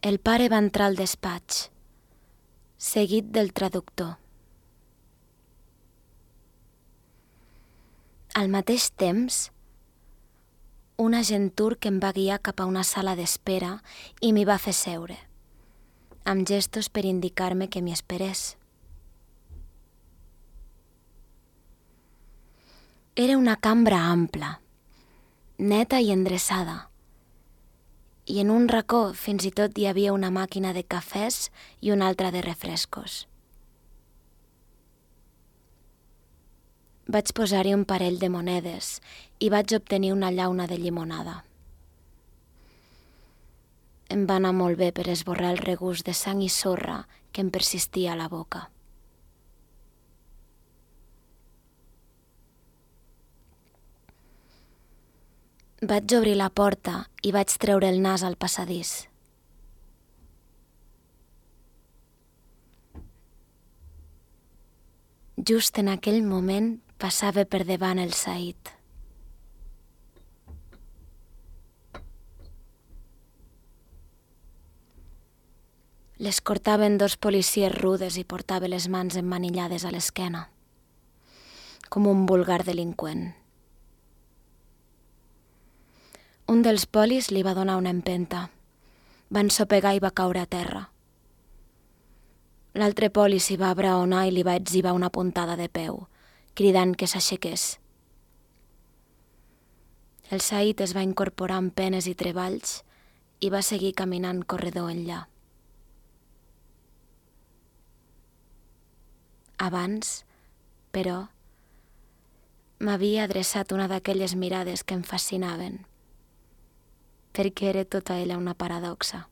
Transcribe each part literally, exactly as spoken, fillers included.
El pare va entrar al despatx, seguit del traductor. Al mateix temps, un agent turc em va guiar cap a una sala d'espera i m'hi va fer seure, amb gestos per indicar-me que m'hi esperés. Era una cambra ampla, neta i endreçada, i en un racó fins i tot hi havia una màquina de cafès i una altra de refrescos. Vaig posar-hi un parell de monedes i vaig obtenir una llauna de llimonada. Em va anar molt bé per esborrar el regust de sang i sorra que em persistia a la boca. Vaig obrir la porta i vaig treure el nas al passadís. Just en aquell moment passava per davant el Said. L'escortaven dos policies rudes i portava les mans emmanillades a l'esquena, com un vulgar delinqüent. Un dels polis li va donar una empenta. Va ensopegar i va caure a terra. L'altre poli s'hi va abraonar i li va etzibar una puntada de peu, cridant que s'aixequés. El Said es va incorporar amb penes i treballs i va seguir caminant corredor enllà. Abans, però, m'havia adreçat una d'aquelles mirades que em fascinaven, perquè era tota ella una paradoxa.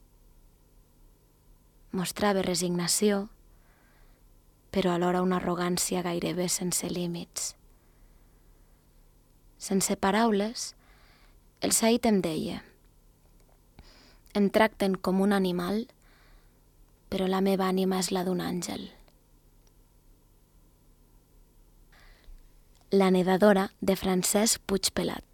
Mostrava resignació, però alhora una arrogància gairebé sense límits. Sense paraules, el Said em deia: em tracten com un animal, però la meva ànima és la d'un àngel. La nedadora de Francesc Puigpelat.